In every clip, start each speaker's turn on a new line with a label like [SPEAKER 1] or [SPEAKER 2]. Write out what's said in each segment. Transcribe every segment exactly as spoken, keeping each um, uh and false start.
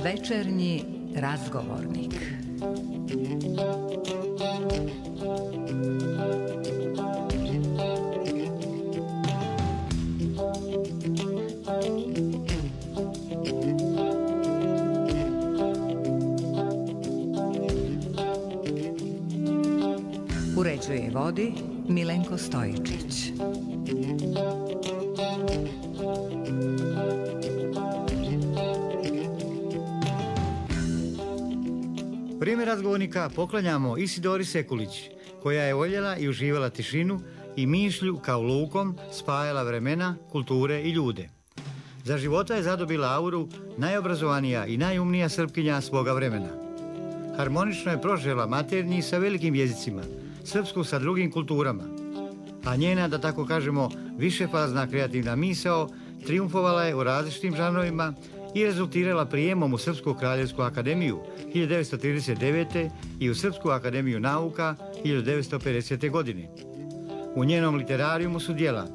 [SPEAKER 1] Večernji razgovornik. Uređuje i vodi Milenko Stojičić.
[SPEAKER 2] Vrijeme razgovornika poklanjamo Isidori Sekulić, koja je voljela i uživala tišinu i mišlju kao lukom spajala vremena, kulture i ljude. Za života je zadobila auru najobrazovanija i najumnija Srpkinja svoga vremena. Harmonično je prožela maternji sa velikim jezicima, srpsku sa drugim kulturama, a njena, da tako kažemo, višefazna kreativna misao triumfovala je u različitim žanrovima i rezultirala prijemom u Srpsku kraljevsku akademiju hiljadu devetsto trideset devete. i u Srpsku akademiju nauka hiljadu devetsto pedesete. godine. U njenom literarijumu su djela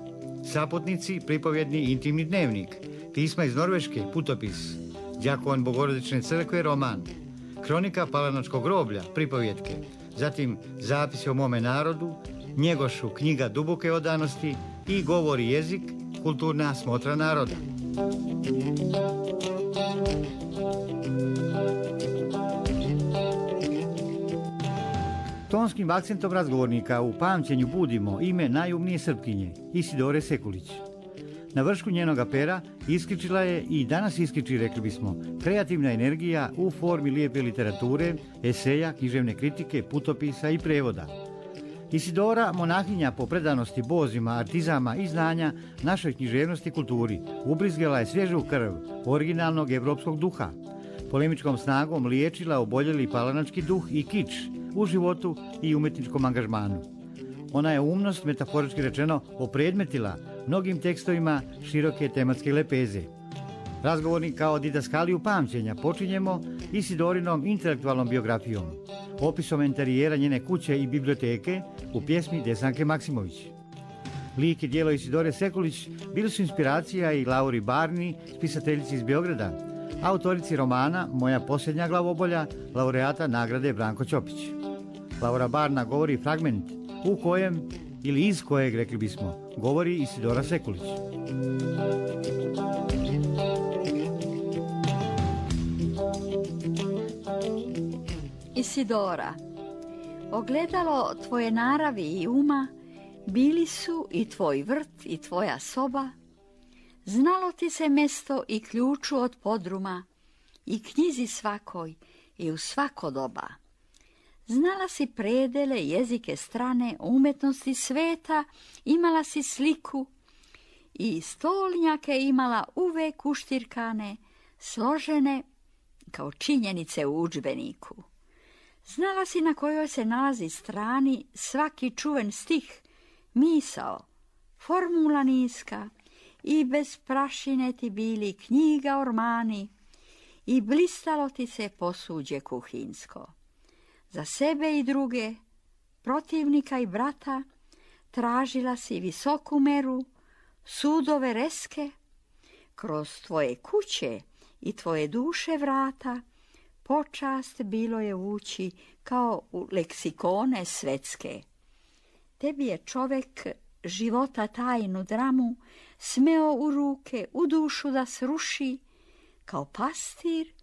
[SPEAKER 2] Saputnici, pripovjedni intimni dnevnik, Pisma iz Norveške, putopis, Đakon Bogorodične crkve, roman, Kronika Palanačkog groblja, pripovjetke, zatim Zapisi o mome narodu, Njegošu, knjiga duboke odanosti i Govor i jezik, kulturna smotra naroda. Tonskim akcentom razgovornika u pamćenju budimo ime najumnije Srpkinje, Isidore Sekulić. Na vršku njenoga pera iskičila je i danas iskiči, rekli bismo, kreativna energija u formi lijepe literature, eseja, književne kritike, putopisa i prevoda. Isidora, monahinja po predanosti bozima, artizama i znanja našoj književnosti i kulturi, ubrizgala je svježu krv originalnog evropskog duha. Polemičkom snagom liječila oboljeli palanački duh i kič u životu i umetničkom angažmanu. Ona je umnost, metaforički rečeno, opredmetila mnogim tekstovima široke tematske lepeze. Razgovornik kao didaskaliju pamćenja počinjemo Isidorinom intelektualnom biografijom, opisom interijera njene kuće i biblioteke u pjesmi Desanke Maksimović. Lik i djelo Isidore Sekulić bili su inspiracija i Lauri Barni, spisateljici iz Beograda, autorici romana Moja posljednja glavobolja, laureata nagrade Branko Ćopić. Laura Barna govori fragment u kojem, ili iz kojeg, rekli bismo, govori Isidora Sekulić.
[SPEAKER 3] Isidora, ogledalo tvoje naravi i uma bili su i tvoj vrt i tvoja soba. Znalo ti se mesto i ključu od podruma i knjizi svakoj i u svako doba. Znala si predele, jezike strane, umetnosti sveta, imala si sliku i stolnjake imala uvek uštirkane, složene kao činjenice u udžbeniku. Znala si na kojoj se nalazi strani svaki čuven stih, misao, formula niska i bez prašine ti bili knjiga ormani i blistalo ti se posuđe kuhinsko. Za sebe i druge, protivnika i brata, tražila si visoku meru, sudove reske, kroz tvoje kuće i tvoje duše vrata, počast bilo je ući kao u leksikone svetske. Tebi je čovek života tajnu dramu smeo u ruke, u dušu da sruši, kao pastir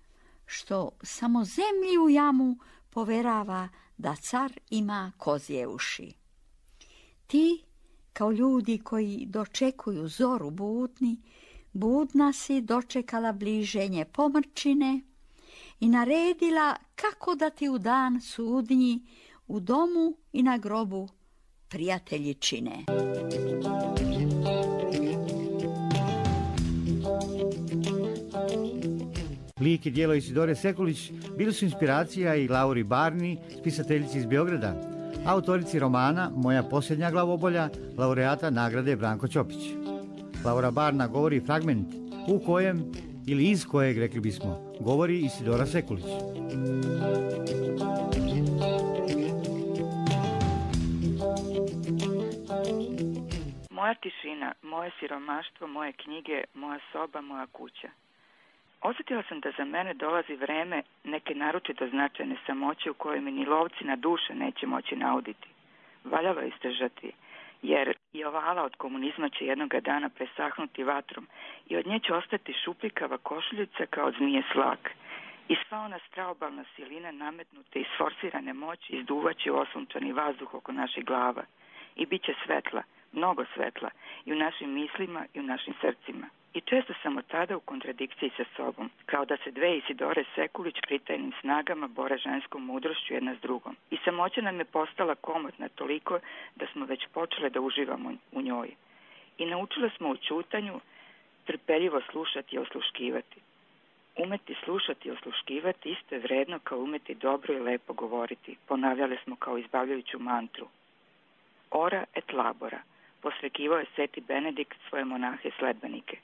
[SPEAKER 3] što samo zemlji u jamu poverava da car ima kozje uši. Ti, kao ljudi koji dočekuju zoru budni, budna si dočekala bliženje pomrčine i naredila kako da ti u dan sudnji u domu i na grobu prijatelji čine.
[SPEAKER 2] Lik i djelo Isidore Sekulić bili su inspiracija i Lauri Barni, spisateljici iz Beograda, autorici romana Moja posljednja glavobolja, laureata nagrade Branko Ćopić. Laura Barna govori fragment u kojem, ili iz kojeg, rekli bismo, govori Isidora Sekulić.
[SPEAKER 4] tišina, moje siromaštvo, moje knjige, moja soba, moja kuća. Osjetila sam da za mene dolazi vreme neke naročito značajne samoće u kojoj mi ni lovci na duše neće moći nauditi. Valjalo je izdržati, jer i ova ala od komunizma će jednoga dana presahnuti vatrom i od nje će ostati šupljikava košuljica kao od zmije slak. I sva ona straobalna silina nametnute i sforsirane moći izduvaće u osunčani vazduh oko naših glava. I bit će svetla, mnogo svetla, i u našim mislima i u našim srcima. I često sam od tada u kontradikciji sa sobom, kao da se dve Isidore Sekulić pritajnim snagama bore ženskom mudrošću jedna s drugom. I samoća nam je postala komotna toliko da smo već počele da uživamo u njoj. I naučile smo u ćutanju trpeljivo slušati i osluškivati. Umeti slušati i osluškivati isto je vredno kao umeti dobro i lepo govoriti, ponavljale smo kao izbavljajuću mantru. Ora et labora, posrekivao je Sveti Benedikt svoje monahe sledbenike.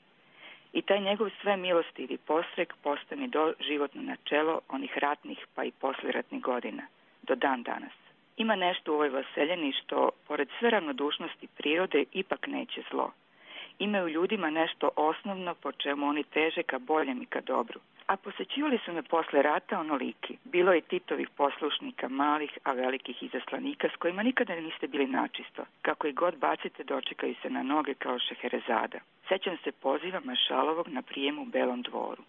[SPEAKER 4] I taj njegov sve milostivi posrek postao mi do životno načelo onih ratnih pa i posliratnih godina, do dan danas. Ima nešto u ovoj vaseljeni što, pored sve ravnodušnosti prirode, ipak neće zlo. Ima u ljudima nešto osnovno po čemu oni teže ka boljem i ka dobru. A posećivali su me posle rata onoliki. Bilo je Titovih poslušnika, malih, a velikih izaslanika s kojima nikada niste bili načisto. Kako i god bacite, dočekaju se na noge kao Šeherezada. Sećam se poziva Mašalovog na prijem u Belom dvoru.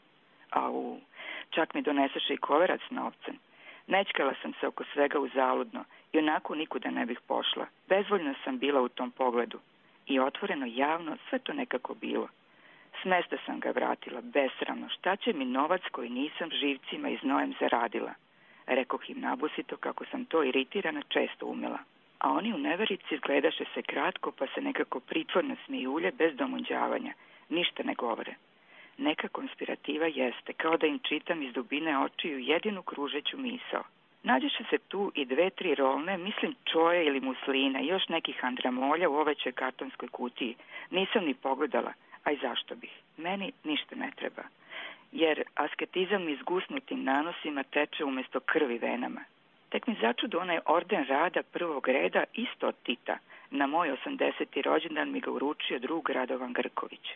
[SPEAKER 4] Au, čak mi donesaše i koverac s novcem. Nečkala sam se oko svega uzaludno i onako nikuda ne bih pošla. Bezvoljno sam bila u tom pogledu. I otvoreno, javno, sve to nekako bilo. S mesta sam ga vratila, besramno. Šta će mi novac koji nisam živcima i znojem zaradila? Rekoh im nabusito kako sam to iritirana često umela. A oni u neverici izgledaše se kratko pa se nekako pritvorno smijulje bez domunđavanja. Ništa ne govore. Neka konspirativa jeste, kao da im čitam iz dubine očiju jedinu kružeću misao. Nađeše se tu i dve, tri rolne, mislim čoje ili muslina i još nekih andramolja u ovećoj kartonskoj kutiji. Nisam ni pogledala, a i zašto bih? Meni ništa ne treba, jer asketizam izgusnutim nanosima teče umjesto krvi venama. Tek mi začudo onaj orden rada prvog reda isto od Tita. Na moj osamdeseti rođendan mi ga uručio drug Radovan Grković.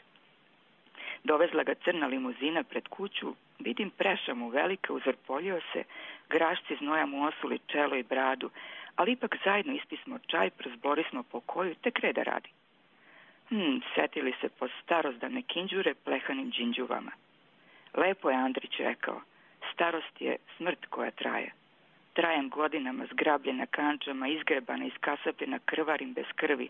[SPEAKER 4] Dovezla ga crna limuzina pred kuću, vidim preša mu velika, uzvrpoljio se, grašci znoja mu osuli čelo i bradu, ali ipak zajedno ispismo čaj, prozborismo po koju, tek reda radi. Hm, setili se po starozdane kinđure plehanim džinđuvama. Lepo je Andrić rekao, starost je smrt koja traje. Trajem godinama zgrabljena kančama, izgrebana, iskasapljena, krvarim bez krvi,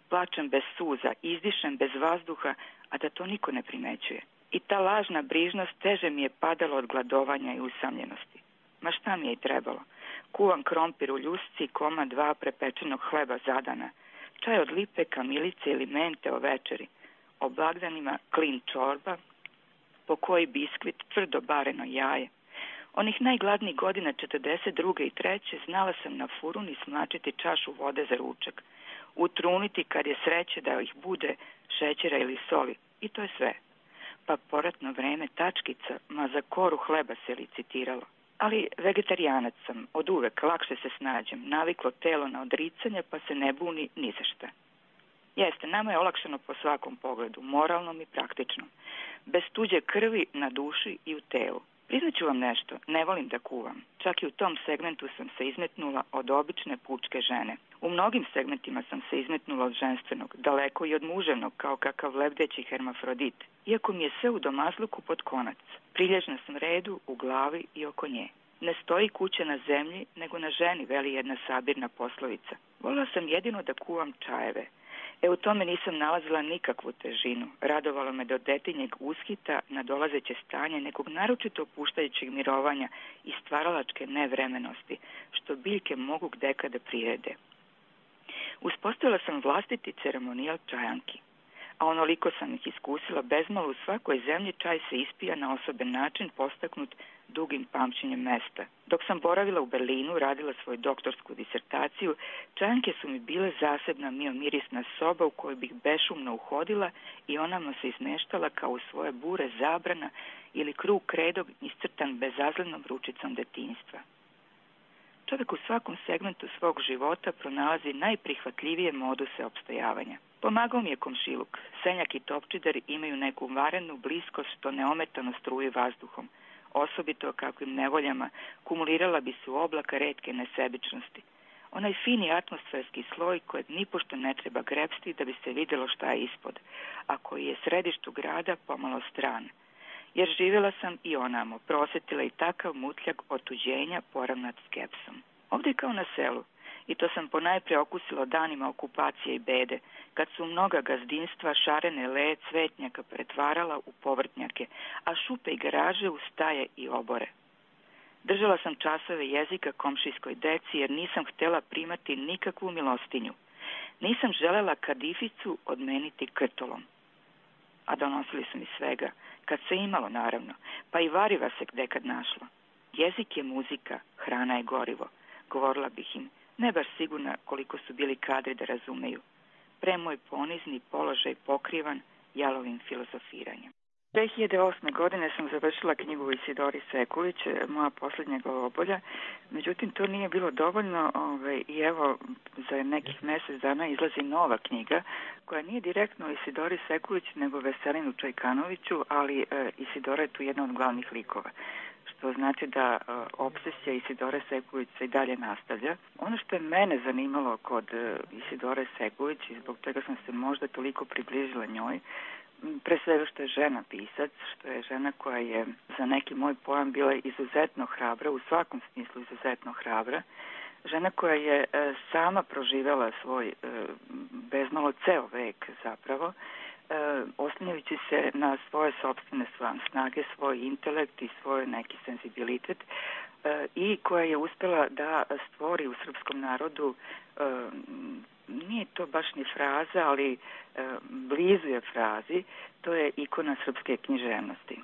[SPEAKER 4] plačem bez suza, izdišem bez vazduha, a da to niko ne primećuje. I ta lažna brižnost teže mi je padala od gladovanja i usamljenosti. Ma šta mi je i trebalo? Kuvam krompir u ljusci, koma dva prepečenog hleba zadana, čaj od lipe, kamilice ili mente o večeri, o blagdanima klin čorba, po koji biskvit, tvrdo bareno jaje. Onih najgladnijih godina četrdeset druge i treće znala sam na furun i smlačiti čašu vode za ručak, utruniti kad je sreće da ih bude šećera ili soli, i to je sve. Pa poratno vreme tačkica, ma za koru hleba se licitiralo. Ali vegetarijanac sam, od uvek, lakše se snađem, naviklo telo na odricanje pa se ne buni ni za šta. Jeste, nama je olakšano po svakom pogledu, moralnom i praktičnom, bez tuđe krvi na duši i u telu. Priznaću vam nešto, ne volim da kuvam. Čak i u tom segmentu sam se izmetnula od obične pučke žene. U mnogim segmentima sam se izmetnula od ženstvenog, daleko i od muževnog, kao kakav lebdeći hermafrodit. Iako mi je sve u domazluku pod konac. Prilježna sam redu u glavi i oko nje. Ne stoji kuća na zemlji, nego na ženi, veli jedna sabirna poslovica. Volila sam jedino da kuvam čajeve. E u tome nisam nalazila nikakvu težinu. Radovalo me do detinjeg ushita na dolazeće stanje nekog naročito opuštajućeg mirovanja i stvaralačke nevremenosti, što biljke mogu gdeka da prirede. Uspostavila sam vlastiti ceremonijal čajanki, a onoliko sam ih iskusila, bezmalo u svakoj zemlji čaj se ispija na osoben način postaknut dugim pamćenjem mesta. Dok sam boravila u Berlinu, radila svoju doktorsku disertaciju, čajanke su mi bile zasebna miomirisna soba u kojoj bih bešumno uhodila i onama se izmeštala kao u svoje bure zabrana ili krug kredog iscrtan bezazlenom ručicom detinjstva. Čovjek u svakom segmentu svog života pronalazi najprihvatljivije moduse opstojavanja. Pomagao mi je komšiluk. Senjak i topčider imaju neku varenu bliskost što neometano struje vazduhom. Osobito kakvim nevoljama kumulirala bi se u oblaka retke nesebičnosti. Onaj fini atmosferski sloj kojeg nipošto ne treba grepsti da bi se vidjelo šta je ispod, a koji je središtu grada pomalo stran. Jer živjela sam i onamo, prosjetila i takav mutljak otuđenja poravnat skepsom. Ovdje je kao na selu. I to sam ponajprije okusila danima okupacije i bede, kad su mnoga gazdinstva šarene le cvetnjaka pretvarala u povrtnjake, a šupe i garaže u staje i obore. Držala sam časove jezika komšijskoj deci jer nisam htjela primati nikakvu milostinju. Nisam želela kadificu odmeniti krtolom. A donosili su mi svega, kad se imalo naravno, pa i variva se gde kad našlo. Jezik je muzika, hrana je gorivo, govorila bih im. Ne baš sigurna koliko su bili kadri da razumeju. Pre moj ponizni položaj pokrivan jalovim filozofiranjem. dve hiljade osme. godine sam završila knjigu Isidori Sekulić, moja posljednja glavobolja. Međutim, to nije bilo dovoljno ovaj, i evo za nekih mjesec dana izlazi nova knjiga koja nije direktno o Isidori Sekulić nego Veselinu Čajkanoviću, ali e, Isidora je tu jedna od glavnih likova. To znači da uh, obsesija Isidore Sekulić se i dalje nastavlja. Ono što je mene zanimalo kod uh, Isidore Sekulić i zbog toga sam se možda toliko približila njoj, pre svega što je žena pisac, što je žena koja je za neki moj pojam bila izuzetno hrabra, u svakom smislu izuzetno hrabra, žena koja je uh, sama proživjela svoj uh, bezmalo ceo vek zapravo, E, oslanjajući se na svoje sopstvene snage, svoj intelekt i svoj neki senzibilitet e, i koja je uspjela da stvori u srpskom narodu, e, nije to baš ni fraza, ali e, blizu je frazi, to je ikona srpske književnosti.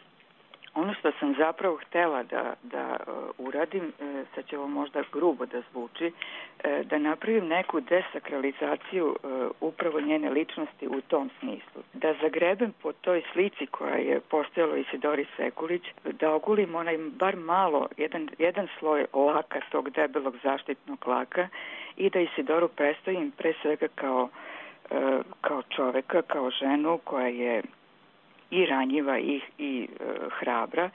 [SPEAKER 4] Ono što sam zapravo htjela da, da uh, uradim, uh, sad će ovo možda grubo da zvuči, uh, da napravim neku desakralizaciju uh, upravo njene ličnosti u tom smislu. Da zagrebem po toj slici koja je postojala Isidori Sekulić, da ogulim onaj bar malo, jedan, jedan sloj laka, tog debelog zaštitnog laka i da Isidoru predstavim pre svega kao, uh, kao čoveka, kao ženu koja je i ranjiva i, i e, hrabra,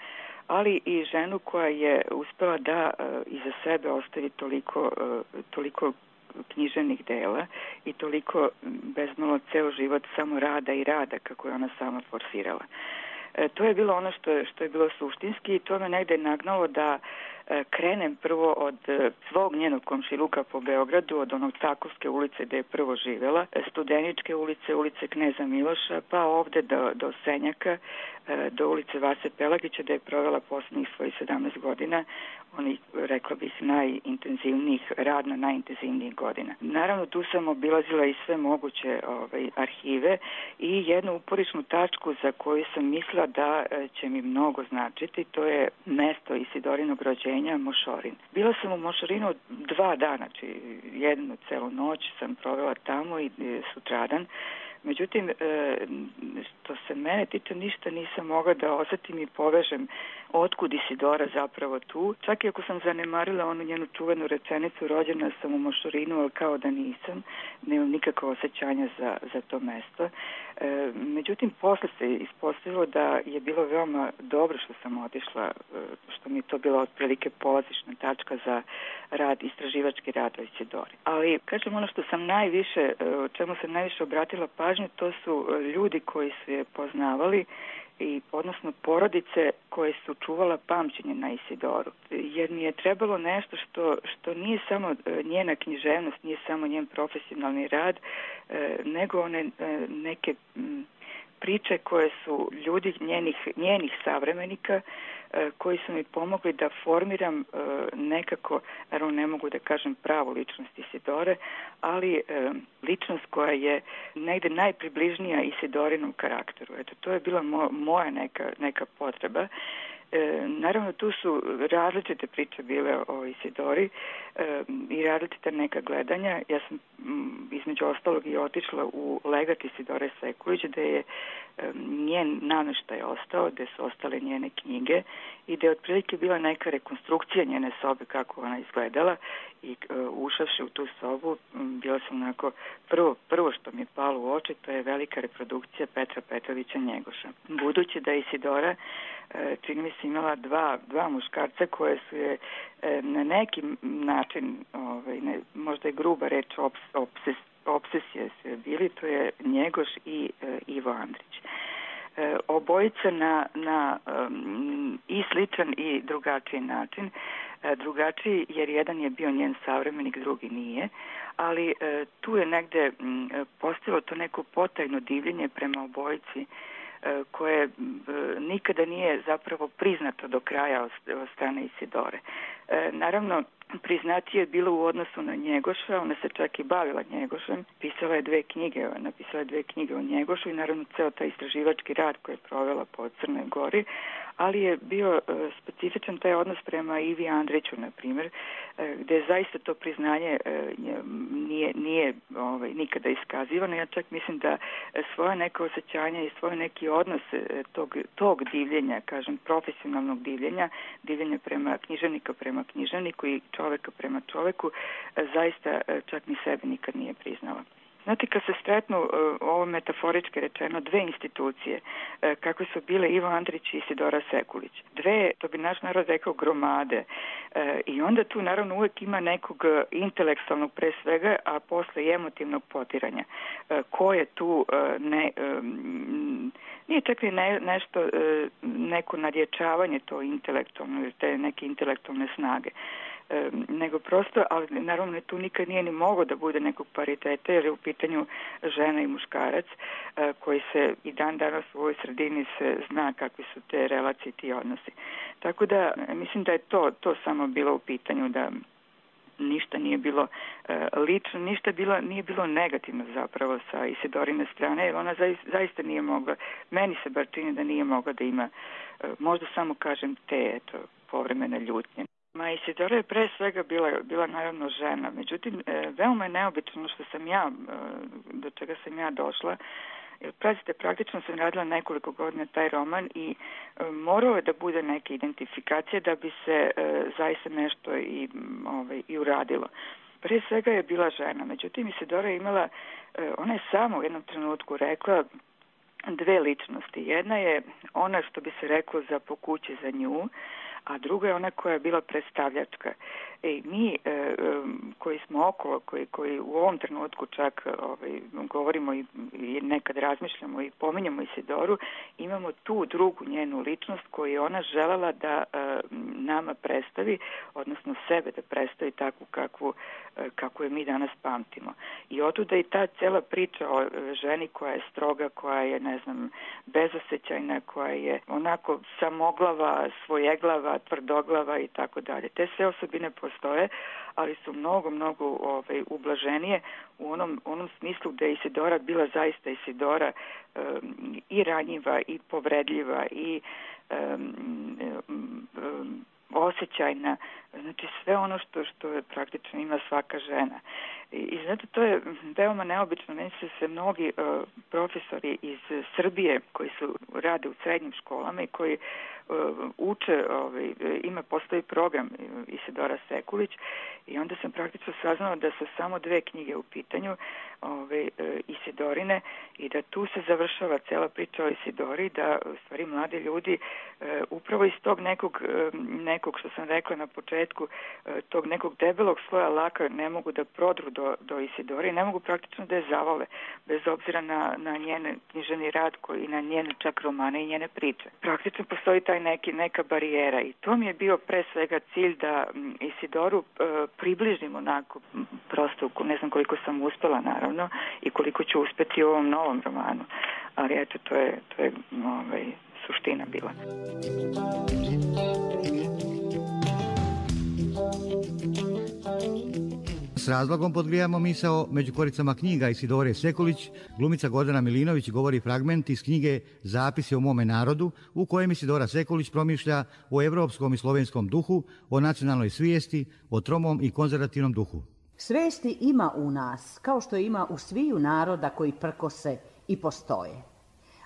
[SPEAKER 4] ali i ženu koja je uspjela da e, iza sebe ostavi toliko, e, toliko književnih dela i toliko bezmalo ceo život samo rada i rada kako je ona sama forsirala. E, to je bilo ono što je, što je bilo suštinski i to me negde nagnalo da e, krenem prvo od e, svog njenog komšiluka po Beogradu, od onog Takovske ulice gde je prvo živjela, e, Studeničke ulice, ulice Kneza Miloša, pa ovde do, do Senjaka, e, do ulice Vase Pelagića gde je provela posljednjih svojih sedamnaest godina, onih, rekla bih, najintenzivnijih, radno najintenzivnijih godina. Naravno, tu sam obilazila i sve moguće ovaj, arhive i jednu uporišnu tačku za koju sam mislila da će mi mnogo značiti, to je mesto Isidorinog rođenja, Mošorin. Bila sam u Mošorinu dva dana, znači jednu celu noć sam provela tamo i sutradan. Međutim, što se mene tiče, ništa nisam mogla da osjetim i povežem otkud Isidora zapravo tu. Čak i ako sam zanemarila onu njenu čuvenu rečenicu, rođena sam u Mošorinu, ali kao da nisam, nemam nikakvo osjećanja za, za to mesto. Međutim, posle se ispostavilo da je bilo veoma dobro što sam otišla, što mi je to bila otprilike polazišna tačka za rad, istraživački rad o Isidori. Ali, kažem, ono što sam najviše, o čemu sam najviše obratila pažnju, to su ljudi koji su je poznavali, i odnosno porodice koje su čuvala pamćenje na Isidoru. Jer mi je trebalo nešto što, što nije samo njena književnost, nije samo njen profesionalni rad, nego one neke priče koje su ljudi njenih, njenih savremenika koji su mi pomogli da formiram nekako, naravno ne mogu da kažem pravu ličnost Isidore, ali ličnost koja je negde najpribližnija Isidorinom karakteru. Eto, to je bila mo, moja neka, neka potreba E, naravno, tu su različite priče bile o Isidori e, i različita neka gledanja. Ja sam m, između ostalog i otišla u legat Isidore Sekulić, gde je e, njen nameštaj ostao, gde su ostale njene knjige i gde je otprilike bila neka rekonstrukcija njene sobe kako ona izgledala i e, ušavši u tu sobu m, bila sam onako, prvo, prvo što mi je palo u oči, to je velika reprodukcija Petra Petrovića Njegoša. Budući da je Isidora e, čini mi se imala dva, dva muškarca koje su je e, na neki način, ovaj, ne, možda je gruba reč, ops, obses, obsesije su je bili, to je Njegoš i e, Ivo Andrić. E, obojica na, na um, i sličan i drugačiji način. E, drugačiji jer jedan je bio njen savremenik, drugi nije, ali e, tu je negde m, postalo to neko potajno divljenje prema obojici koje nikada nije zapravo priznato do kraja od strane Isidore. Naravno, priznatije je bilo u odnosu na Njegoša, ona se čak i bavila Njegošem, pisala je dve knjige, napisala je dve knjige o Njegošu i naravno ceo taj istraživački rad koji je provela po Crnoj Gori, ali je bio specifičan taj odnos prema Ivi Andriću, na primjer, gde je zaista to priznanje nije, nije ovaj, nikada iskazivano. Ja čak mislim da svoje neke osjećanja i svoj neki odnos tog, tog divljenja, kažem, profesionalnog divljenja, divljenja prema književnika prema književniku i čoveka prema čoveku, zaista čak ni sebi nikad nije priznala. Znate, kad se stretnu, ovo metaforički rečeno, dve institucije, kako su bile Ivo Andrić i Isidora Sekulić, dve, to bi naš narod rekao, gromade, i onda tu naravno uvek ima nekog intelektualnog pre svega, a posle i emotivnog potiranja. Ko je tu ne... Nije čak i ne, nešto, neko nadječavanje to intelektualno, te neke intelektualne snage, nego prosto, ali naravno tu nikad nije ni moglo da bude nekog pariteta, jer je u pitanju žena i muškarac, koji se i dan danas u ovoj sredini se zna kakvi su te relacije, ti odnosi. Tako da mislim da je to, to samo bilo u pitanju, da ništa nije bilo uh, lično, ništa bilo, nije bilo negativno zapravo sa Isidorine strane, jer ona zaista, zaista nije mogla, meni se bar čini da nije mogla da ima, uh, možda samo kažem te, eto, povremene ljutnje. Ma Isidora je pre svega bila, bila naravno žena, međutim, e, veoma je neobično što sam ja, e, do čega sam ja došla, jer prazite, praktično sam radila nekoliko godina taj roman i e, morao je da bude neka identifikacija da bi se e, zaista nešto i, ovaj, i uradilo. Pre svega je bila žena, međutim Isidora je imala, e, ona je samo u jednom trenutku rekla dve ličnosti. Jedna je ona što bi se reklo za po kući za nju, a druga je ona koja je bila predstavljačka. I mi e, koji smo okolo, koji, koji u ovom trenutku čak ovaj, govorimo i, i nekad razmišljamo i pominjamo Isidoru, imamo tu drugu njenu ličnost koju je ona želala da e, nama predstavi, odnosno sebe da predstavi takvu kakvu, e, kako je mi danas pamtimo. I otuda i ta cela priča o ženi koja je stroga, koja je, ne znam, bezosećajna, koja je onako samoglava, svojeglava, tvrdoglava i tako dalje. Te sve osobine postoje, ali su mnogo, mnogo ovaj, ublaženije u onom, onom smislu da je Isidora bila zaista Isidora um, i ranjiva i povredljiva i um, um, osjećajna, znači sve ono što, što praktično ima svaka žena. I, i znate, to je veoma neobično. Meni se se mnogi uh, profesori iz Srbije koji su rade u srednjim školama i koji uh, uče, ovaj, ima, postoji program Isidora Sekulić i onda sam praktično saznala da su samo dve knjige u pitanju, ovaj, Isidorine, i da tu se završava cela priča o Isidori, da u stvari mladi ljudi uh, upravo iz tog nekog, uh, nekog što sam rekla na početku, uh, tog nekog debelog sloja laka ne mogu da prodru do, do Isidore i ne mogu praktično da je zavole, bez obzira na, na njen književni rad koji, i na njene čak romane i njene priče. Praktično postoji taj neki, neka barijera i to mi je bio pre svega cilj da m, Isidoru uh, približimo onako, m, prosto ne znam koliko sam uspela naravno i koliko ću uspeti u ovom novom romanu, ali eto to je, to je ovaj, suština bila.
[SPEAKER 2] S razlogom podgrijamo misao među koricama knjiga Isidore Sekulić. Glumica Gordana Milinović govori fragment iz knjige Zapisi o mome narodu, u kojem Isidora Sekulić promišlja o evropskom i slovenskom duhu, o nacionalnoj svijesti, o tromom i konzervativnom duhu.
[SPEAKER 5] Svesti ima u nas, kao što ima u sviju naroda koji prkose i postoje.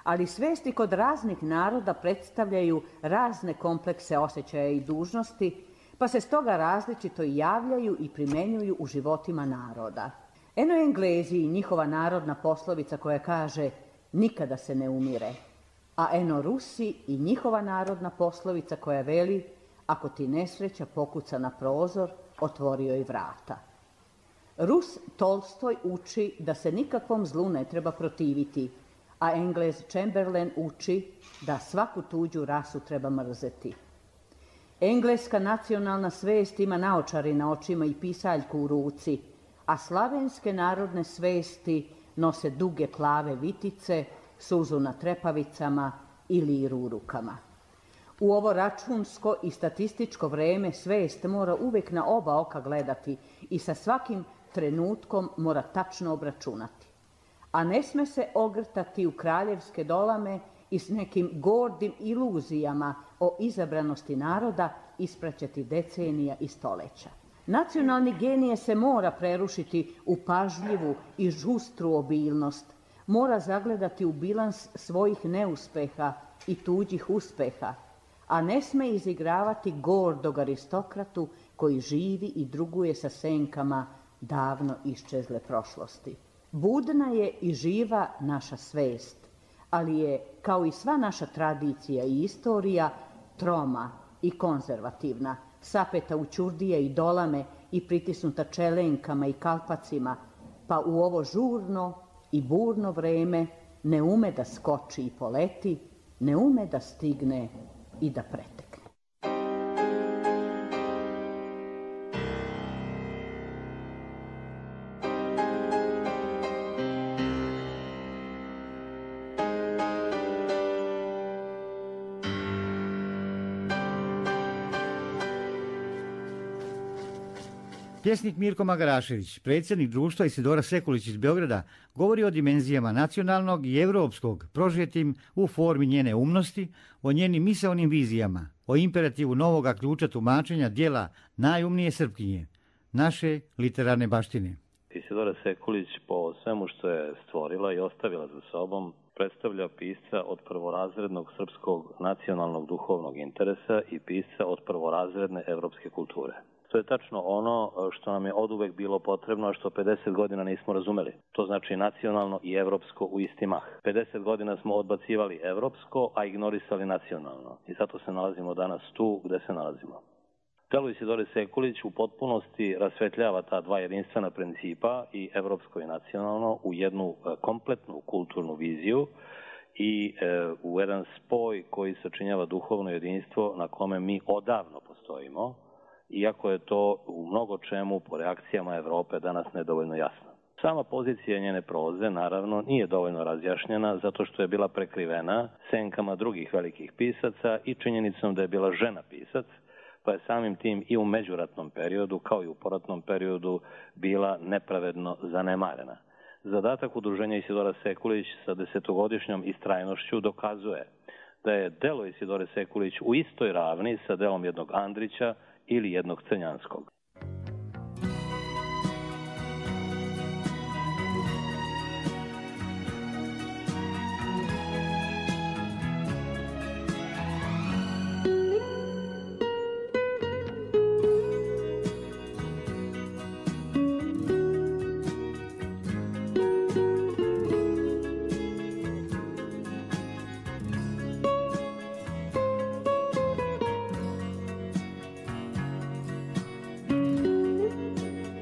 [SPEAKER 5] Ali svesti kod raznih naroda predstavljaju razne komplekse osjećaja i dužnosti, pa se stoga različito javljaju i primenjuju u životima naroda. Eno Englezi i njihova narodna poslovica koja kaže nikada se ne umire, a eno Rusi i njihova narodna poslovica koja veli ako ti nesreća pokuca na prozor, otvorio je vrata. Rus Tolstoj uči da se nikakvom zlu ne treba protiviti, a Englez Chamberlain uči da svaku tuđu rasu treba mrzeti. Engleska nacionalna svest ima naočari na očima i pisaljku u ruci, a slavenske narodne svesti nose duge plave vitice, suzu na trepavicama i liru u rukama. U ovo računsko i statističko vreme svest mora uvek na oba oka gledati i sa svakim trenutkom mora tačno obračunati. A ne sme se ogrtati u kraljevske dolame i s nekim gordim iluzijama o izabranosti naroda ispraćati decenija i stoleća. Nacionalni genije se mora prerušiti u pažljivu i žustru obilnost, mora zagledati u bilans svojih neuspeha i tuđih uspeha, a ne sme izigravati gordog aristokratu koji živi i druguje sa senkama davno iščezle prošlosti. Budna je i živa naša svest, ali je, kao i sva naša tradicija i istorija, troma i konzervativna, sapeta u ćurdije i dolame i pritisnuta čelenkama i kalpacima, pa u ovo žurno i burno vreme ne ume da skoči i poleti, ne ume da stigne i da pretekne.
[SPEAKER 2] Pjesnik Mirko Magarašević, predsjednik društva Isidora Sekulić iz Beograda, govori o dimenzijama nacionalnog i evropskog, prožetim u formi njene umnosti, o njenim misaonim vizijama, o imperativu novoga ključa tumačenja dijela najumnije Srpkinje, naše literarne baštine.
[SPEAKER 6] Isidora Sekulić po svemu što je stvorila i ostavila za sobom predstavlja pisca od prvorazrednog srpskog nacionalnog duhovnog interesa i pisca od prvorazredne evropske kulture. To je tačno ono što nam je oduvek bilo potrebno, a što pedeset godina nismo razumeli. To znači nacionalno i evropsko u isti mah. pedeset godina smo odbacivali evropsko, a ignorisali nacionalno. I zato se nalazimo danas tu gde se nalazimo. Delo Isidore Sekulić u potpunosti rasvetljava ta dva jedinstvena principa, i evropsko i nacionalno, u jednu kompletnu kulturnu viziju i e, u jedan spoj koji sačinjava duhovno jedinstvo na kome mi odavno postojimo, iako je to u mnogo čemu po reakcijama Evrope danas nedovoljno jasno. Sama pozicija njene proze, naravno, nije dovoljno razjašnjena zato što je bila prekrivena senkama drugih velikih pisaca i činjenicom da je bila žena pisac, pa je samim tim i u međuratnom periodu, kao i u poratnom periodu, bila nepravedno zanemarena. Zadatak udruženja Isidora Sekulić sa desetogodišnjom istrajnošću dokazuje da je delo Isidore Sekulić u istoj ravni sa delom jednog Andrića ili jednog Crnjanskog.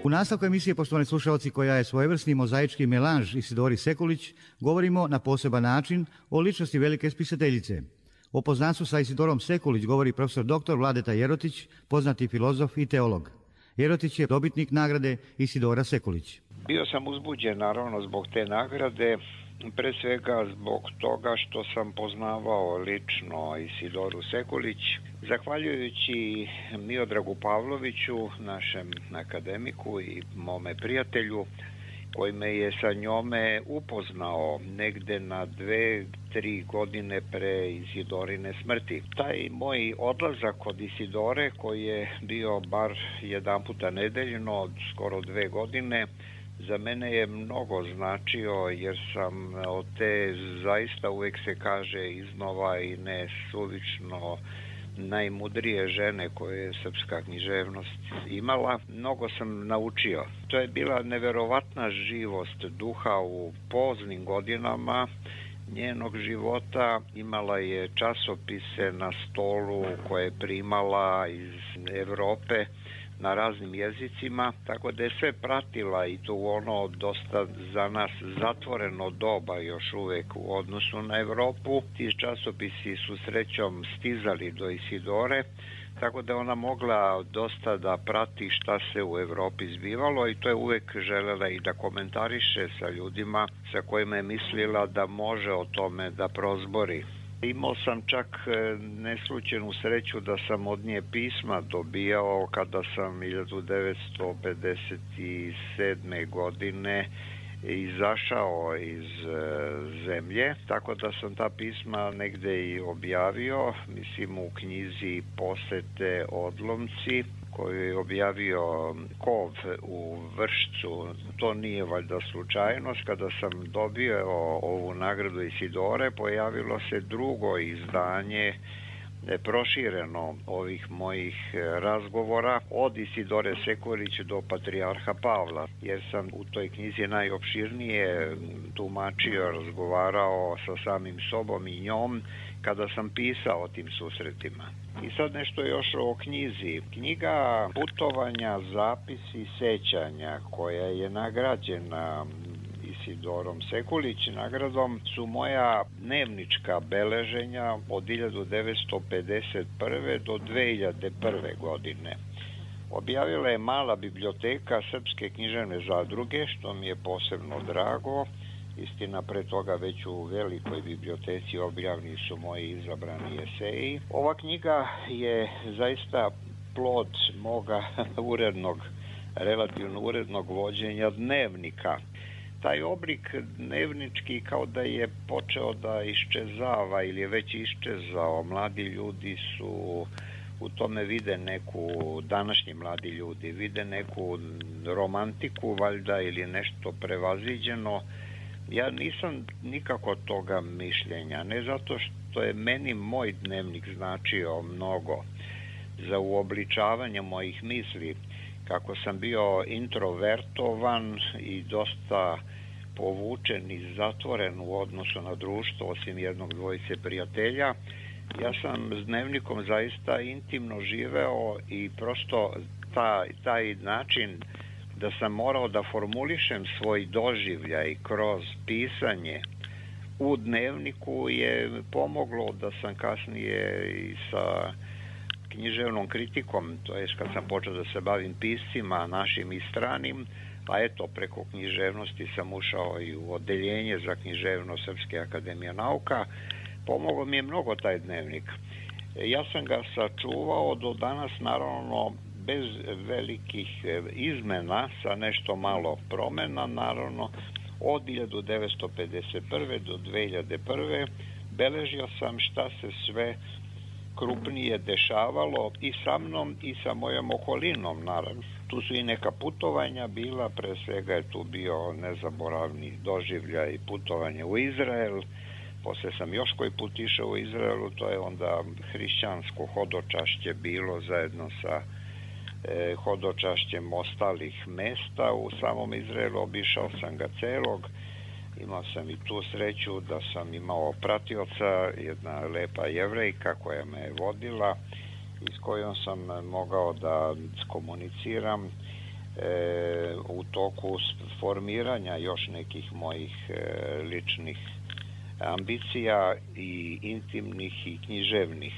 [SPEAKER 2] U nastavku emisije, poštovani slušalci, koja je svojevrsni mozaički melanž Isidori Sekulić, govorimo na poseban način o ličnosti velike spisateljice. O poznanstvu sa Isidorom Sekulić govori profesor doktor Vladeta Jerotić, poznati filozof i teolog. Jerotić je dobitnik nagrade Isidora Sekulić.
[SPEAKER 7] Bio sam uzbuđen naravno zbog te nagrade, pre svega zbog toga što sam poznavao lično Isidoru Sekulić. Zahvaljujući Miodragu Pavloviću, našem akademiku i mome prijatelju, koji me je sa njome upoznao negde na dve, tri godine pre Isidorine smrti. Taj moj odlazak kod Isidore, koji je bio bar jedan puta nedeljno od skoro dve godine, za mene je mnogo značio, jer sam od te, zaista uvek se kaže iznova i nesuvično, najmudrije žene koje je srpska književnost imala, mnogo sam naučio. To je bila neverovatna živost duha u poznim godinama njenog života. Imala je časopise na stolu koje je primala iz Evrope na raznim jezicima, tako da je sve pratila i to ono dosta za nas zatvoreno doba još uvek u odnosu na Evropu. Ti časopisi su srećom stizali do Isidore, tako da ona mogla dosta da prati šta se u Evropi zbivalo i to je uvek želela i da komentariše sa ljudima sa kojima je mislila da može o tome da prozbori. Imao sam čak neslučajnu sreću da sam od nje pisma dobijao kada sam hiljadu devetsto pedeset sedme. godine izašao iz zemlje, tako da sam ta pisma negde i objavio, mislim u knjizi Posete odlomci, koju je objavio Kov u Vršcu. To nije valjda slučajnost. Kada sam dobio ovu nagradu Isidore, pojavilo se drugo izdanje prošireno ovih mojih razgovora od Isidore Sekulić do Patrijarha Pavla, jer sam u toj knjizi najopširnije tumačio, razgovarao sa samim sobom i njom kada sam pisao o tim susretima. I sad nešto još o knjizi. Knjiga Putovanja, zapisi, sećanja, koja je nagrađena Isidorom Sekulić nagradom, su moja dnevnička beleženja od hiljadu devetsto pedeset prve. do dve hiljade prve. godine. Objavila je Mala biblioteka Srpske književne zadruge, što mi je posebno drago. Istina, pre toga već u velikoj biblioteci objavljeni su moji izabrani eseji. Ova knjiga je zaista plod moga urednog, relativno urednog vođenja dnevnika. Taj oblik dnevnički kao da je počeo da iščezava ili je već iščezao. Mladi ljudi su u tome vide neku, današnji mladi ljudi vide neku romantiku valjda ili nešto prevaziđeno. Ja nisam nikako toga mišljenja, ne zato što je meni moj dnevnik značio mnogo za uobličavanje mojih misli, kako sam bio introvertovan i dosta povučen i zatvoren u odnosu na društvo, osim jednog dvojice prijatelja. Ja sam s dnevnikom zaista intimno živeo i prosto taj, taj način da sam morao da formulišem svoj doživljaj kroz pisanje u dnevniku je pomoglo da sam kasnije i sa književnom kritikom, to je kad sam počeo da se bavim piscima našim i stranim, pa eto, preko književnosti sam ušao i u odeljenje za književnost Srpske akademije nauka. Pomoglo mi je mnogo taj dnevnik. Ja sam ga sačuvao do danas, naravno, bez velikih izmena, sa nešto malo promena, naravno, od hiljadu devetsto pedeset prve. do dve hiljade prve. beležio sam šta se sve krupnije dešavalo i sa mnom i sa mojom okolinom, naravno. Tu su i neka putovanja bila, pre svega je tu bio nezaboravni doživljaj putovanje u Izrael. Posle sam još koji put išao u Izraelu, to je onda hrišćansko hodočašće bilo zajedno sa e, hodočašćem ostalih mesta u samom Izraelu. Obišao sam ga celog. Imao sam i tu sreću da sam imao pratioca, jedna lepa Jevrejka koja me je vodila i s kojom sam mogao da komuniciram e, u toku formiranja još nekih mojih e, ličnih ambicija i intimnih i književnih.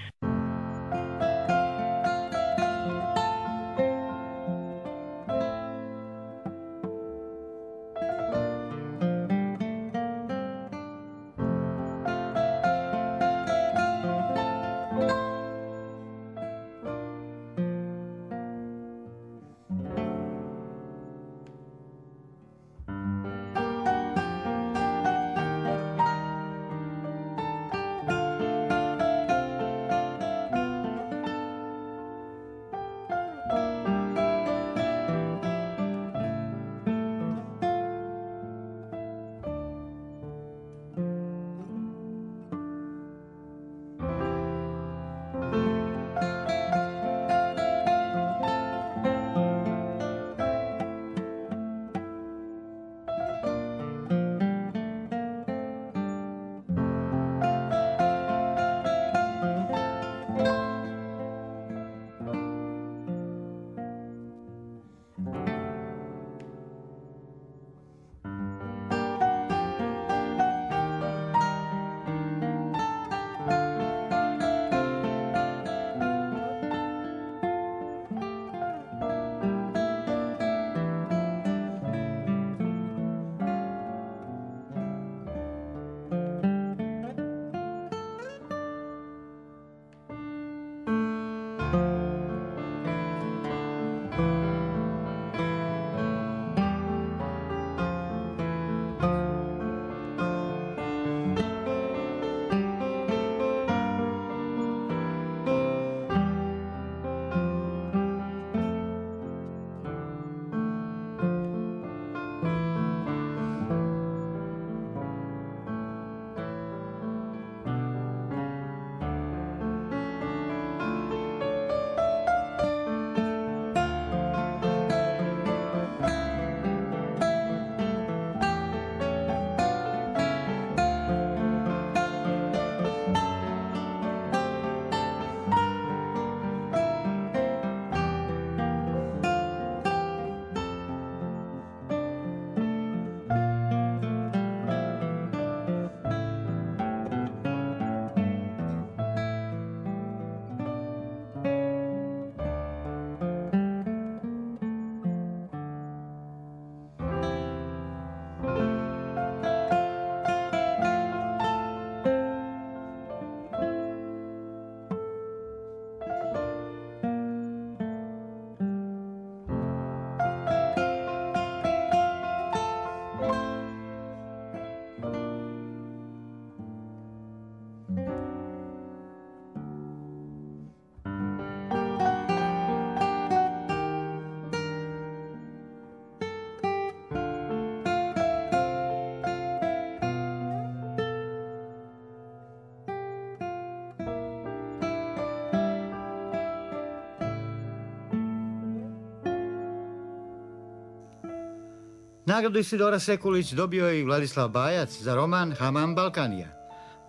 [SPEAKER 2] Nagradu Isidora Sekulić dobio je i Vladislav Bajac za roman Hamam Balkanija.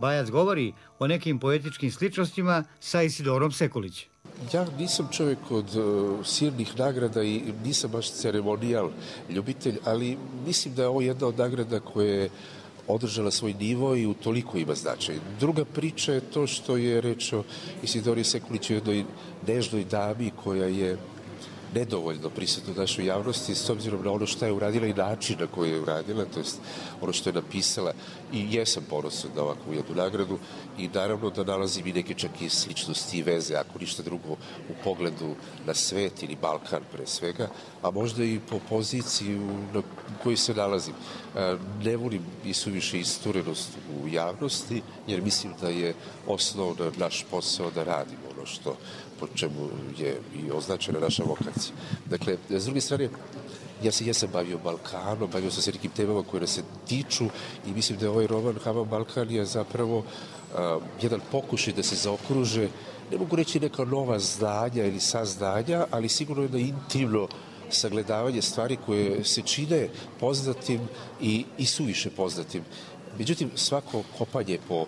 [SPEAKER 2] Bajac govori o nekim poetičkim sličnostima sa Isidorom Sekulić.
[SPEAKER 8] Ja nisam čovjek od uh, silnih nagrada i nisam baš ceremonijal ljubitelj, ali mislim da je ovo jedna od nagrada koja je održala svoj nivo i utoliko ima značaj. Druga priča je to što je reč o Isidori Sekulić, jednoj nežnoj dami koja je nedovoljno prisutna u našoj javnosti s obzirom na ono što je uradila i način na koji je uradila, to jest ono što je napisala. I jesam ponosan na ovakvu jednu nagradu i naravno da nalazim i neke čak i sličnosti i veze, ako ništa drugo, u pogledu na svet ili Balkan pre svega, a možda i po poziciji na kojoj se nalazim. Ne volim i suviše isturenost u javnosti, jer mislim da je osnovno naš posao da radimo ono što po čemu je i označena naša vokacija. Dakle, s druge strane, ja se jesam bavio Balkanom, bavio sam se nekim temama koje nas se tiču i mislim da je ovaj roman Hamam Balkanija zapravo uh, jedan pokušaj da se zaokruže, ne mogu reći neka nova znanja ili saznanja, ali sigurno jedno intimno sagledavanje stvari koje se čine poznatim i, i suviše poznatim. Međutim, svako kopanje po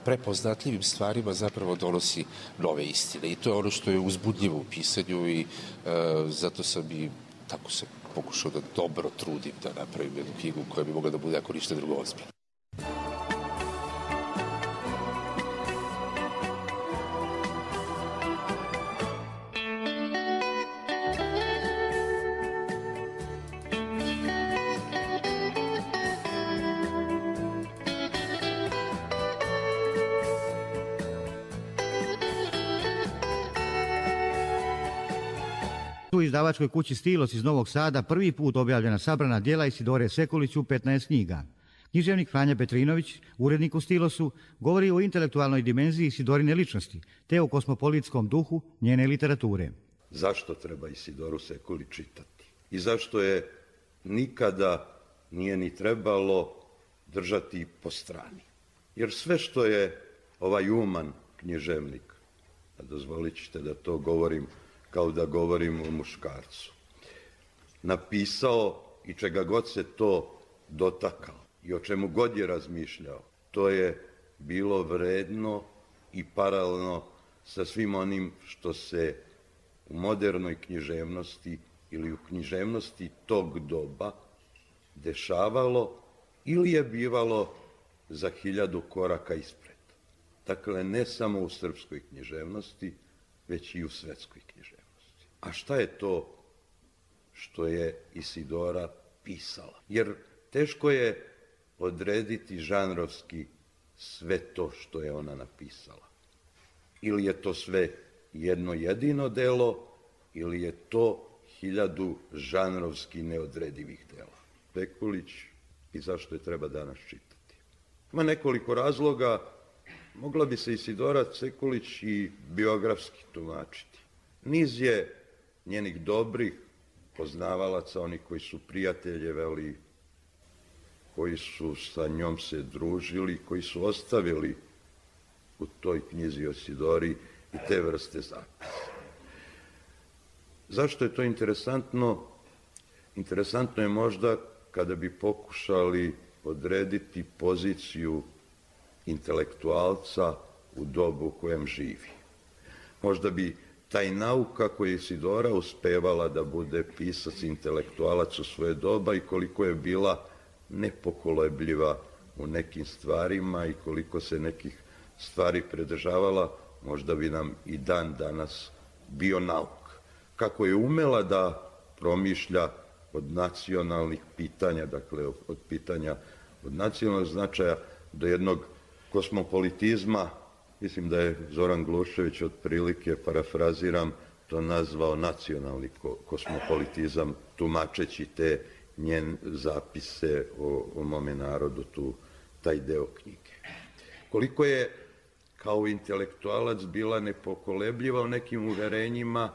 [SPEAKER 8] prepoznatljivim stvarima zapravo donosi nove istine i to je ono što je uzbudljivo u pisanju i uh, zato sam i tako se pokušao da dobro trudim da napravim jednu knjigu koja bi mogla da bude ako ništa drugo ozbiljno.
[SPEAKER 2] U izdavačkoj kući Stilos iz Novog Sada prvi put objavljena sabrana djela Isidore Sekulić u petnaest knjiga. Književnik Franja Petrinović, urednik u Stilosu, govori o intelektualnoj dimenziji Isidorine ličnosti, te o kosmopolitskom duhu njene literature.
[SPEAKER 9] Zašto treba Isidoru Sekulić čitati? I zašto je nikada nije ni trebalo držati po strani? Jer sve što je ovaj uman književnik, a dozvolit ćete da to govorim kao da govorim o muškarcu, napisao i čega god se to dotakao i o čemu god je razmišljao, to je bilo vredno i paralelno sa svim onim što se u modernoj književnosti ili u književnosti tog doba dešavalo ili je bivalo za hiljadu koraka ispred. Dakle, ne samo u srpskoj književnosti, već i u svetskoj književnosti. A šta je to što je Isidora pisala? Jer teško je odrediti žanrovski sve to što je ona napisala. Ili je to sve jedno jedino delo, ili je to hiljadu žanrovski neodredivih dela. Sekulić i zašto je treba danas čitati? Ima nekoliko razloga. Mogla bi se Isidora Sekulić i biografski tumačiti. Niz je njenih dobrih poznavalaca, oni koji su prijateljevali, koji su sa njom se družili, koji su ostavili u toj knjizi o Isidori i te vrste zapisa. Zašto je to interesantno? Interesantno je možda kada bi pokušali odrediti poziciju intelektualca u dobu u kojem živi. Možda bi taj nauka koju je Isidora uspevala da bude pisac, intelektualac u svoje doba i koliko je bila nepokolebljiva u nekim stvarima i koliko se nekih stvari predržavala, možda bi nam i dan danas bio nauk. Kako je umela da promišlja od nacionalnih pitanja, dakle od pitanja od nacionalnog značaja do jednog kosmopolitizma, mislim da je Zoran Glušević otprilike, parafraziram, to nazvao nacionalni kosmopolitizam, tumačeći te njen zapise o, o mome narodu, tu, taj deo knjige. Koliko je kao intelektualac bila nepokolebljiva u nekim uverenjima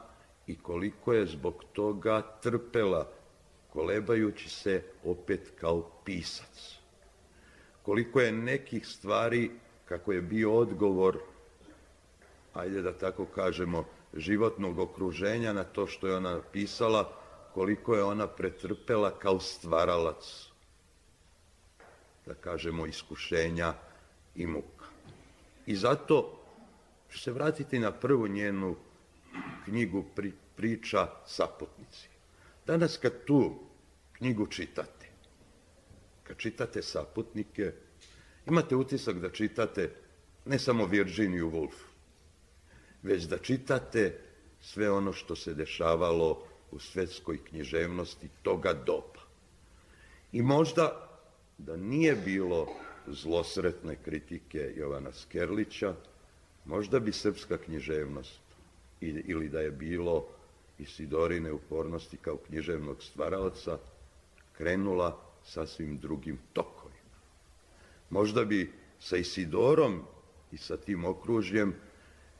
[SPEAKER 9] i koliko je zbog toga trpela, kolebajući se opet kao pisac. Koliko je nekih stvari, kako je bio odgovor, ajde da tako kažemo, životnog okruženja na to što je ona napisala, koliko je ona pretrpela kao stvaralac, da kažemo, iskušenja i muka. I zato ću se vratiti na prvu njenu knjigu pri, Priča Saputnici. Danas kad tu knjigu čitate, kad čitate Saputnike, imate utisak da čitate ne samo Virginiju Woolf, već da čitate sve ono što se dešavalo u svetskoj književnosti toga doba. I možda da nije bilo zlosretne kritike Jovana Skerlića, možda bi srpska književnost, ili da je bilo Isidorine upornosti kao književnog stvaraoca, krenula sasvim drugim tokovima. Možda bi sa Isidorom i sa tim okružjem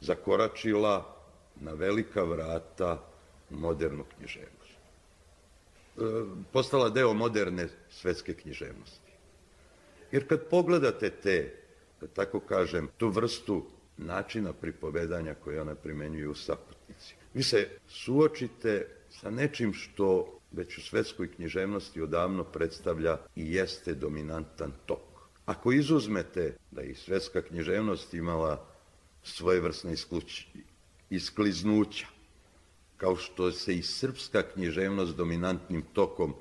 [SPEAKER 9] zakoračila na velika vrata modernu književnost. Postala deo moderne svetske književnosti. Jer kad pogledate te, da tako kažem, tu vrstu načina pripovedanja koje ona primenjuje u Saputnici, vi se suočite sa nečim što već u svetskoj književnosti odavno predstavlja i jeste dominantan tok. Ako izuzmete da i svetska književnost imala svojevrsne iskliznuća, kao što se i srpska književnost dominantnim tokom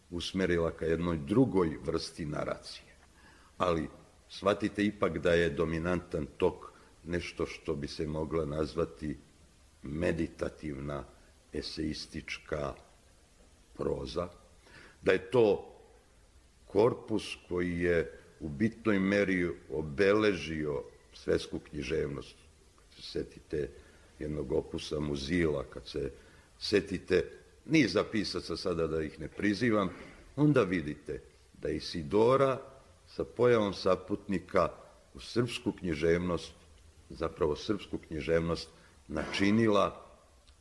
[SPEAKER 9] usmerila ka jednoj drugoj vrsti naracije. Ali shvatite ipak da je dominantan tok nešto što bi se mogla nazvati meditativna, eseistička proza, da je to korpus koji je u bitnoj meri obeležio svetsku književnost. Kad se setite jednog opusa Muzila, kad se setite niza pisaca, sada da ih ne prizivam, onda vidite da Isidora sa pojavom Saputnika u srpsku književnost, zapravo srpsku književnost, načinila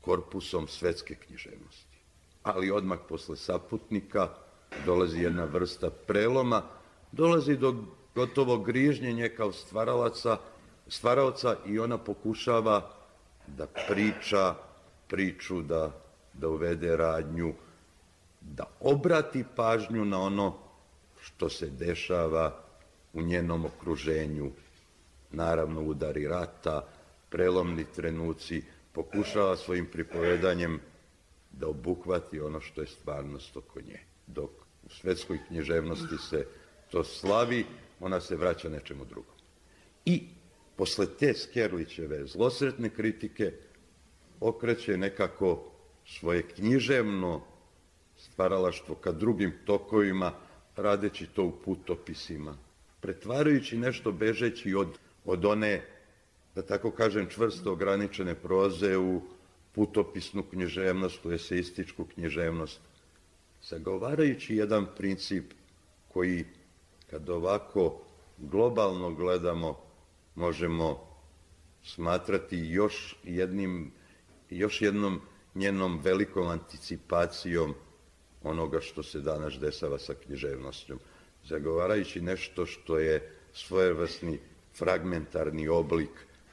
[SPEAKER 9] korpusom svetske književnosti. Ali odmah posle Saputnika dolazi jedna vrsta preloma, dolazi do gotovo grižnjenja kao stvaralaca, stvaraoca i ona pokušava da priča priču, da, da uvede radnju, da obrati pažnju na ono što se dešava u njenom okruženju. Naravno, udari rata, prelomni trenuci, pokušava svojim pripovedanjem da obuhvati ono što je stvarnost oko nje. Dok u svetskoj književnosti se to slavi, ona se vraća nečemu drugom. I posle te Skerlićeve zlosretne kritike okreće nekako svoje književno stvaralaštvo ka drugim tokovima, radeći to u putopisima, pretvarajući nešto bežeći od, od one, da tako kažem, čvrsto ograničene proze u putopisnu književnost, u eseističku književnost, zagovarajući jedan princip koji, kad ovako globalno gledamo, možemo smatrati još jednim, još jednom njenom velikom anticipacijom onoga što se danas dešava sa književnošću, zagovarajući nešto što je svojevrsni fragmentarni oblik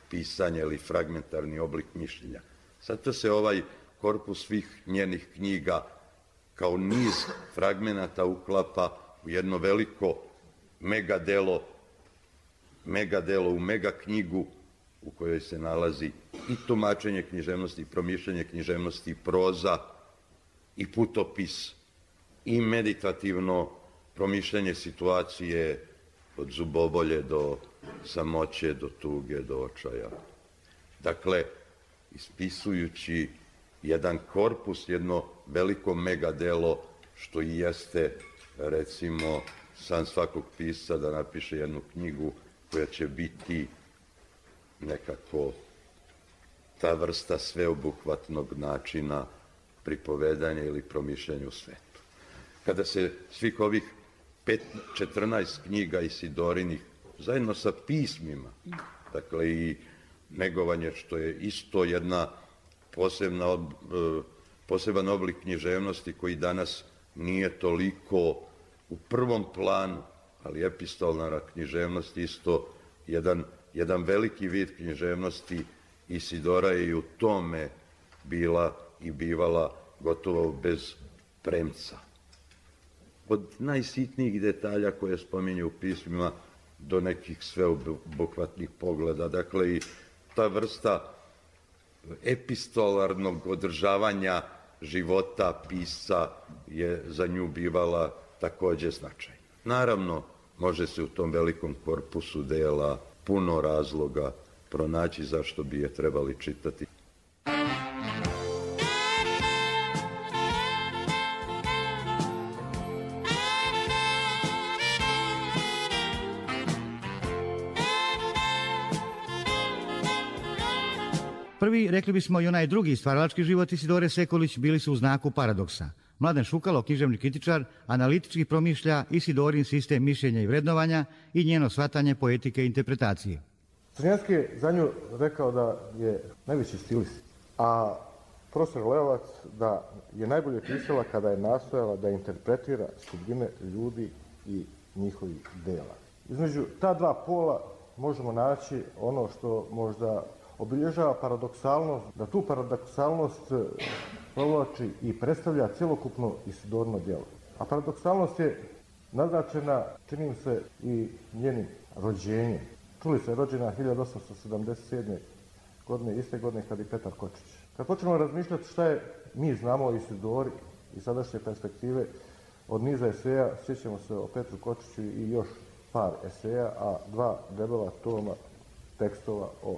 [SPEAKER 9] pisanja ili fragmentarni oblik mišljenja. Zato se ovaj korpus svih njenih knjiga kao niz fragmenata uklapa u jedno veliko megadelo, megadelo u mega knjigu u kojoj se nalazi i tumačenje književnosti, i promišljanje književnosti, i proza, i putopis, i meditativno promišljanje situacije od zubobolje do samoće, do tuge, do očaja. Dakle, ispisujući jedan korpus, jedno veliko megadelo, što i jeste, recimo, san svakog pisca da napiše jednu knjigu koja će biti nekako ta vrsta sveobuhvatnog načina pripovedanja ili promišljanja u svetu. Kada se svih ovih četrnaest knjiga Isidorinih, zajedno sa pismima, dakle i negovanje, što je isto jedna posebna, poseban oblik književnosti koji danas nije toliko u prvom planu, ali epistolna književnost isto jedan, jedan veliki vid književnosti. Isidora je i u tome bila i bivala gotovo bez premca. Od najsitnijih detalja koje spominju u pismima do nekih sveobuhvatnih pogleda. Dakle, i ta vrsta epistolarnog održavanja života pisca je za nju bivala takođe značajna. Naravno, može se u tom velikom korpusu dela puno razloga pronaći zašto bi je trebali čitati.
[SPEAKER 2] Prvi, rekli bismo i onaj drugi stvaralački život Isidore Sekulić bili su u znaku paradoksa. Mladen Šukalo, književni kritičar, analitički promišlja Isidorin sistem mišljenja i vrednovanja i njeno shvatanje poetike i interpretacije.
[SPEAKER 10] Crnjanski je za nju rekao da je najveći stilist, a profesor Leovac da je najbolje pisala kada je nastojala da interpretira sudbine ljudi i njihovih dela. Između ta dva pola možemo naći ono što možda obilježava paradoksalnost, da tu paradoksalnost provlači i predstavlja cjelokupno Isidorino djelo. A paradoksalnost je naznačena, čini mi se, i njenim rođenjem. Čuli se, rođena hiljadu osamsto sedamdeset sedme. godine, iste godine kad i Petar Kočić. Kad počnemo razmišljati šta je mi znamo o Isidori i sadašnje perspektive od niza eseja, sjećamo se o Petru Kočiću i još par eseja, a dva debela toma tekstova o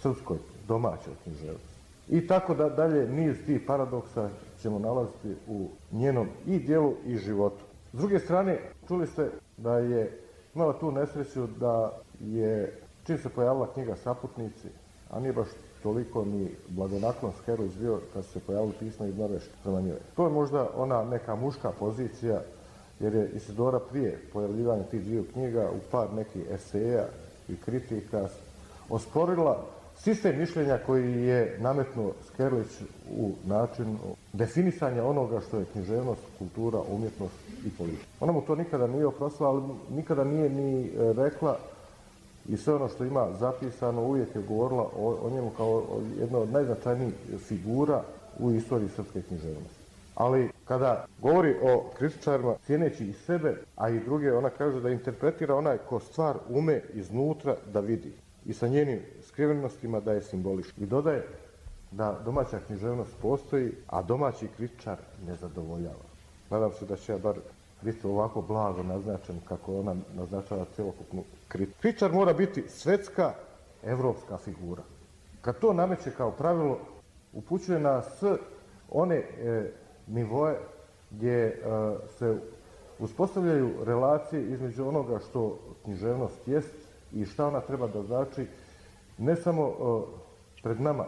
[SPEAKER 10] srpskoj domaćoj književnosti. I tako da dalje niz tih paradoksa ćemo nalaziti u njenom i djelu i životu. S druge strane, čuli ste da je imala tu nesreću da je, čim se pojavila knjiga Saputnici, a nije baš toliko ni blagonaklon Skerlić bio kad su se pojavili pisma iz Norveške prema njoj. To je možda ona neka muška pozicija, jer je Isidora prije pojavljivanja tih dviju knjiga u par nekih eseja i kritika osporila sistem mišljenja koji je nametnuo Skerlić u načinu definisanja onoga što je književnost, kultura, umjetnost i politika. Ona mu to nikada nije oprostila, ali nikada nije ni rekla i sve ono što ima zapisano uvijek je govorila o, o njemu kao o jedno od najznačajnijih figura u istoriji srpske književnosti. Ali kada govori o kritičarima, cijeneći i sebe, a i druge, ona kaže da interpretira onaj ko stvar ume iznutra da vidi i sa njenim skrivenostima da je simbolički. I dodaje da domaća književnost postoji, a domaći kritičar ne zadovoljava. Nadam se da će ja bar biti ovako blago naznačen kako ona naznačava cjelokupnu kritiku. Kritičar mora biti svetska, evropska figura. Kad to nameće kao pravilo, upućuje nas one e, nivoe gdje e, se uspostavljaju relacije između onoga što književnost jest i šta ona treba da znači ne samo e, pred nama,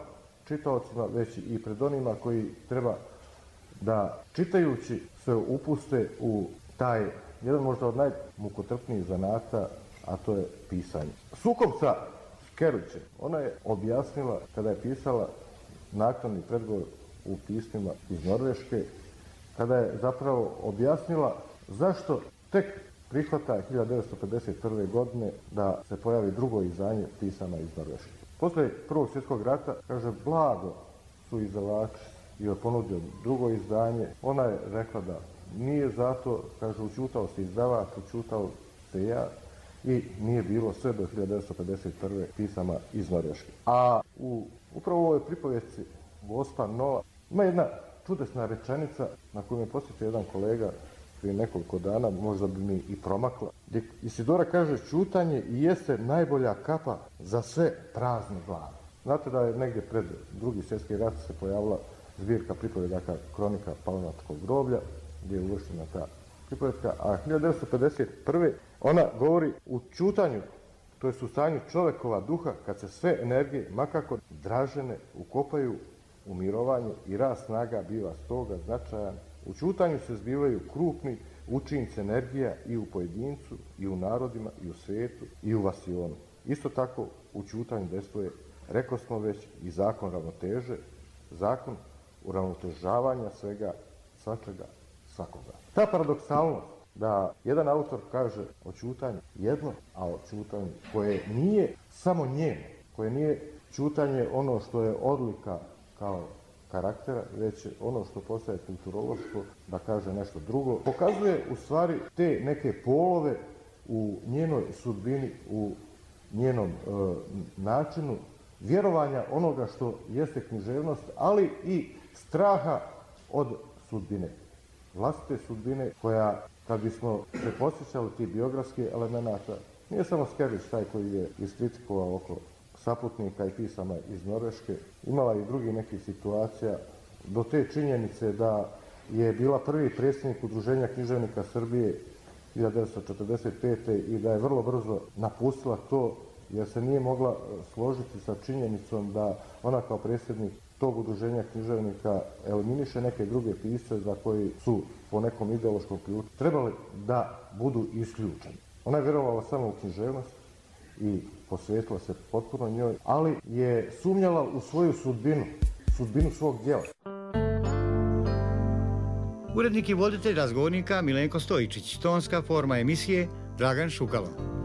[SPEAKER 10] čitaocima, već i pred onima koji treba da čitajući se upuste u taj, jedan možda od najmukotrpnijih zanata, a to je pisanje. Sukob sa Skerlićem, ona je objasnila kada je pisala naknadni predgovor u pismima iz Norveške, kada je zapravo objasnila zašto tek prihvata hiljadu devetsto pedeset prve. godine da se pojavi drugo izdanje pisama iz Norveške. Posle Prvog svjetskog rata, kaže, blago su izdavači i je ponudio drugo izdanje. Ona je rekla da nije zato, kaže, učutao se izdavač, učutao se ja i nije bilo sve do hiljadu devetsto pedeset prve. pisama iz Norveške. A u upravo ovoj pripovijesti Gospa Nova ima jedna čudesna rečenica na koju me posjetio jedan kolega prije nekoliko dana, možda bi mi i promakla. Gdje Isidora kaže, čutanje i jeste najbolja kapa za sve prazne glave. Znate da je negdje pred Drugi svjetski rat se pojavila zbirka pripovedaka Kronika Palanačkog groblja, gdje je uvrštena ta pripovedka, a hiljadu devetsto pedeset prve. ona govori u čutanju, to je u stanju čovjekova duha, kad se sve energije, makako dražene, ukopaju u mirovanje i rast snaga biva stoga značajan. U čutanju se zbivaju krupni učinci energija i u pojedincu, i u narodima, i u svijetu, i u vasionu. Isto tako u čutanju dejstvuje, rekao smo već, i zakon ravnoteže, zakon uravnotežavanja svega, svačega, svakoga. Ta paradoksalnost da jedan autor kaže o čutanju jedno, a o čutanju koje nije samo njeno, koje nije čutanje ono što je odlika kao karaktera, već ono što postaje kulturološko, da kaže nešto drugo. Pokazuje u stvari te neke polove u njenoj sudbini, u njenom e, načinu vjerovanja onoga što jeste književnost, ali i straha od sudbine. Vlastite sudbine koja, kad bismo se posjećali ti biografskih elemenata, nije samo Skerlić taj koji je iskritikovao oko saputnika i pisama iz Norveške, imala i drugi nekih situacija, do te činjenice da je bila prvi predsjednik Udruženja književnika Srbije hiljadu devetsto četrdeset pete. i da je vrlo brzo napustila to, jer se nije mogla složiti sa činjenicom da ona kao predsjednik tog udruženja književnika eliminiše neke druge pisce za koji su po nekom ideološkom ključu trebali da budu isključeni. Ona je vjerovala samo u književnost i posvetila se potpuno njoj, ali je sumnjala u svoju sudbinu, sudbinu svog djela.
[SPEAKER 2] Urednik i voditelj razgovornika Milenko Stojičić, tonska forma emisije Dragan Šukalo.